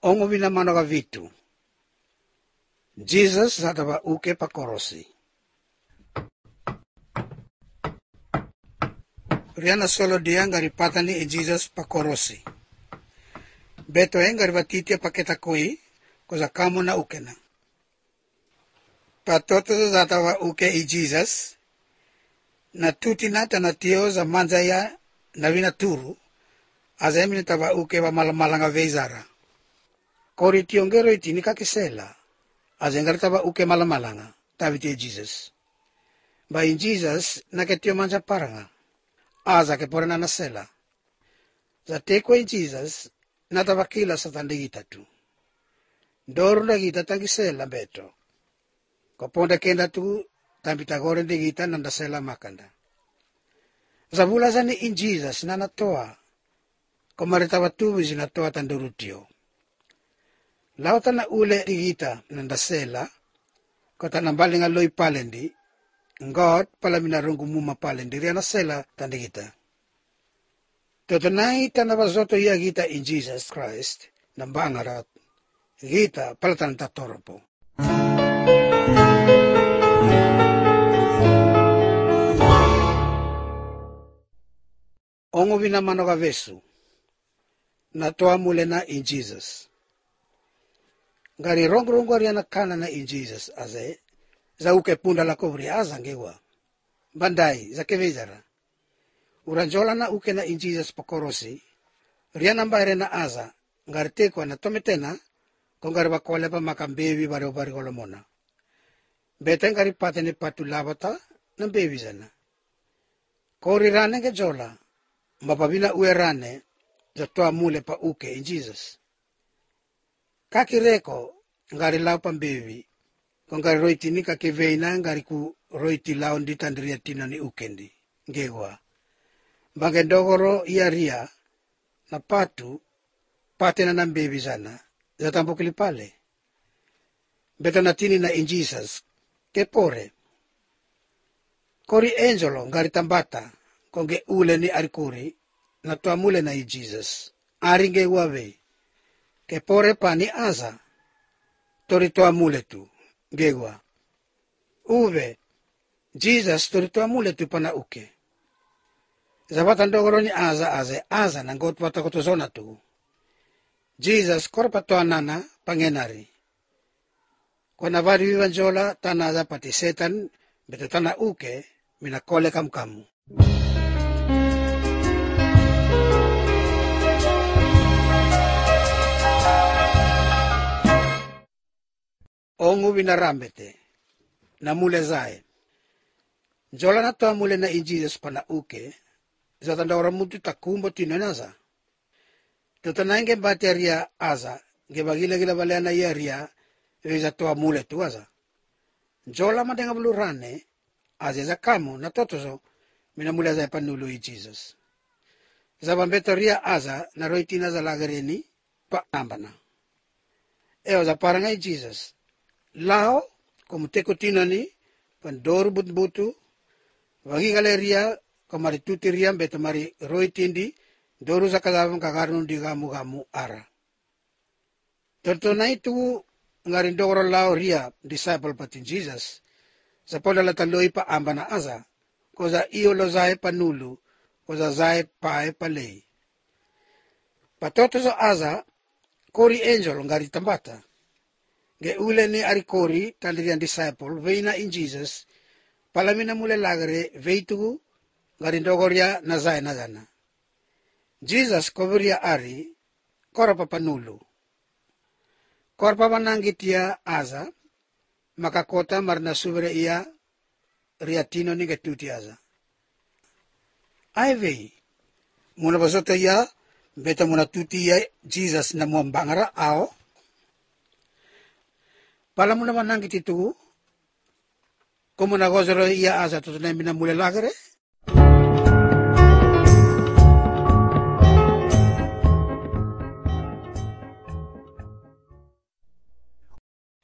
Ongo vinamanoga vitu. Jesus zatava uke pakorosi. Riana solo dia ngari patani e Jesus pakorosi. Beto ngari vatitia paketa koi, koza kamo na ukena. Patoto zatava uke e Jesus, na tuti nata na tio za manzaya na vina turu, azemini tava uke wa malamalanga vezara. Kori tiongero itini kakisela, azengari tava uke malamalanga, taviti e Jesus. Ba in Jesus, naketio manza paranga. Aza ke porena na sela. Za teko in Jesus, natavakila sa tandigita tu. Doru na gita tangisela beto. Koponda kenda tu, tambita gore ndigita nanda sela makanda. Za vula zani in Jesus, na natoa. Komaritava tuwi zinatoa tandurutio. Lauta na ule digita nanda sela, kota nambalinga loi palendi, God pala minarungu muma palendi, riana sela tandigita. Totonai tanavazoto ia gita in Jesus Christ, nambangarat, gita palatan tatoropo. Ongo vinamanoga vesu, natoa mule na in Jesus. Ngari rongo ariana kana na in Jesus aze, za uke punda la kovri azangewa. Bandai, za kevezara. Uranjola na uke na in Jesus pakorosi, riana mbaire na aza, ngari teko na tometena, kongari wakole pa makambevi bari kolomona. Bete ngari patene patu labata, na bevi zana. Kori rane ke jola, mapabina ue rane, za toa mule pa uke in Jesus. Kakireko, ngari lau pambevi, kongari roitini kakeveina ngari ku roiti lau ndi tandria tina ni ukendi, ngewa. Bangendogoro ia ria, na patu, patena na mbevi zana, za tambukili pale. Beto na tini na in Jesus, kepore. Kori angelo ngari tambata, konge ule ni arikuri, na toa mule na in Jesus. Aringe wawe, kepore pa ni aza, tori toa mule tu, gewa. Uwe, Jesus tori toa mule tu pana uke. Zabatan dogoro ni aza na ngot wata kotozona tu. Jesus korpa toa nana pangenari. Kona vari vivanjola tana za pati setan, beto tana uke, mina kole kamu. Ongu vinarambete, na mule zae. Jola na toa mule na in Jesus pana uke, zatanda ora mutu takumbo tinonaza. Totanange bateria aza, gila balena iaria, veza toa mule tu aza. Jola madenga bulurane, aza kamo na totozo, mina mule zae panulu i Jesus. Zabambetoria aza, na roitina za lagareni, pa ambana. Eo za paranga i Jesus. Lao, como teko tinani, pandoru butu, wagi galeria, komari tutiriam beto mari roitindi, doru za kadavang kakarun di gamu ara. Tortona itu ngarindoro lao ria disciple patin Jesus, sa pola lataloi pa ambana aza, koza iyo lo zae panulu, koza zae pae palei. Patoto so aza, kori angel ngari tambata. Ge ule ni arikori tandirian disciple veina in Jesus palamina mule lagare veitu garindogoria na zae na gana. Jesus koveria ari korapa panulu. Korpa manangitia aza makakota marna suvere ia riatino ni getuti aza. Aivei muna basoto ia beta muna tuti ia Jesus na muambangara ao. Pala muna manangit itu, kumu na gozero iya aza tutunay minamule lagare.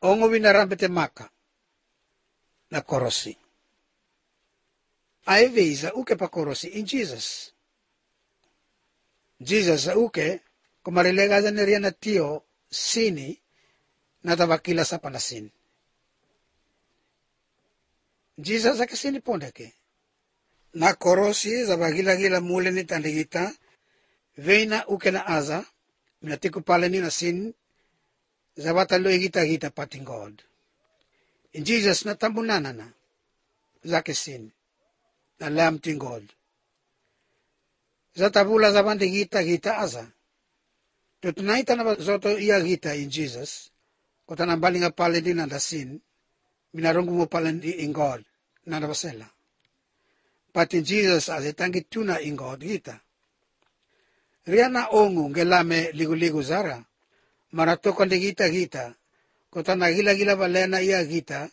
Ongo vinarambete maka, na korosi. Aive za uke pa korosi in Jesus. Jesus za uke, kumarilega za neria na tio, sini natabakila sa panasin. Jesus akasini pondeke. Na korosi za bagila-gila mule ni tandigita, veina uke na aza, minatiku pala ni na sin, za batalo igita-gita pating God. In Jesus na tambunana na, zake sin, na lam ting God. Za tabula za bandigita-gita aza, tutunaita na zoto iya gita in Jesus, kota nambaling pala din na sin, minarungu mo pala in God, na nabasela. But in Jesus as itangi tuna in God gita. Riana ongu ngelame ligu-ligu zara, maratokon di gita-gita, kota na gila-gila balena iya gita,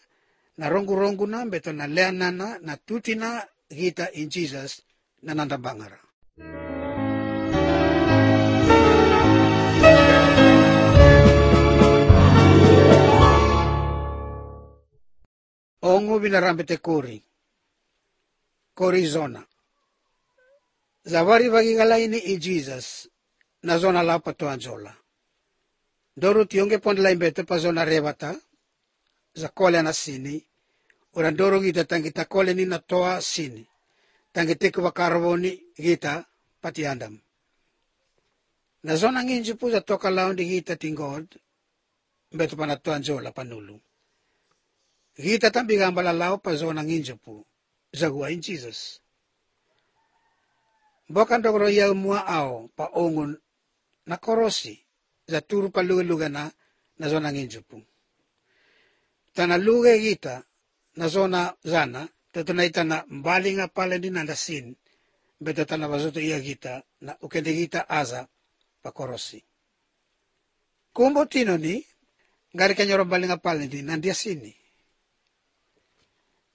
na rongu-rongu na beto na leana na tuti na gita in Jesus na nandabangara. Ongu binarambete kori zona. Zavari bagigalaini in Jesus na zona la patoanzola. Doru tionge pondla imbete pa zona rebata, za kole na sini, ora doro gita tangita kole ni na toa sini, tangitiku wakaraboni gita pati andam. Na zona nginji pu za toka laundi gita tingod, beto pa na toanzola panulu. Gita tambigambala lao pa zona nginji pu, zagua in Jesus. Bokan dogro ya mua ao pa ongun na korosi za turu pa luga na zona nginjupu. Tana luga gita na zona zana tatunay na mbali nga pala din na sin beto tana bazoto iya gita na ukende gita aza pa korosi. Kumbo tino ni ngari kanyoro mbali nga pala din nandia sini.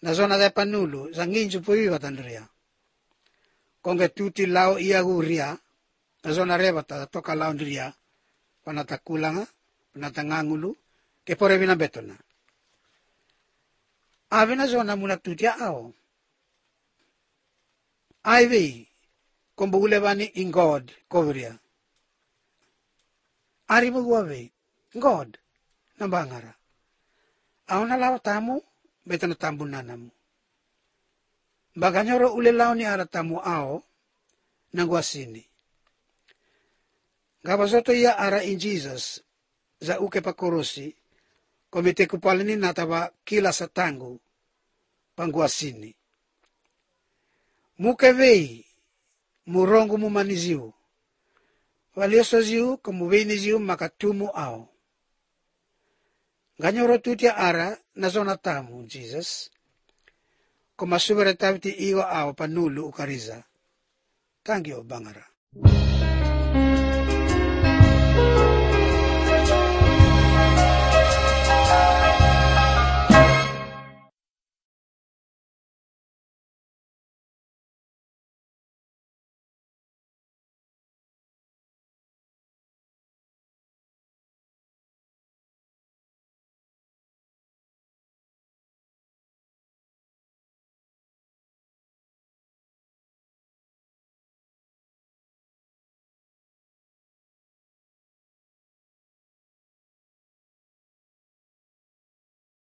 Na zona da panulu za nginjupu iwa tandria. Konge tuti lao iya guria, na zona rebata toka lao ndiria, panatakulanga, panatangangulu, ke pore bina betona. Ave na zona muna tuti ao. Aivi, kombugule bani in God, kovria. Ari muguave, God, nambangara. Ao na lao tamu, betona tambu nanamu. Baganyoro ule lao ni aratamu ao, nangwa sini. Gabazoto iya ara in Jesus, za uke pa korosi, komite kupalini nataba kila sa tangu, pangwa sini. Mukevei, murongo mumaniziu, walioso ziu, kumuvini ziu makatumu ao. Ganyoro tutia ara, na zona tamu, Jesus, koma subere taviti iwa ao panulu ukariza. Thank you, Bangara.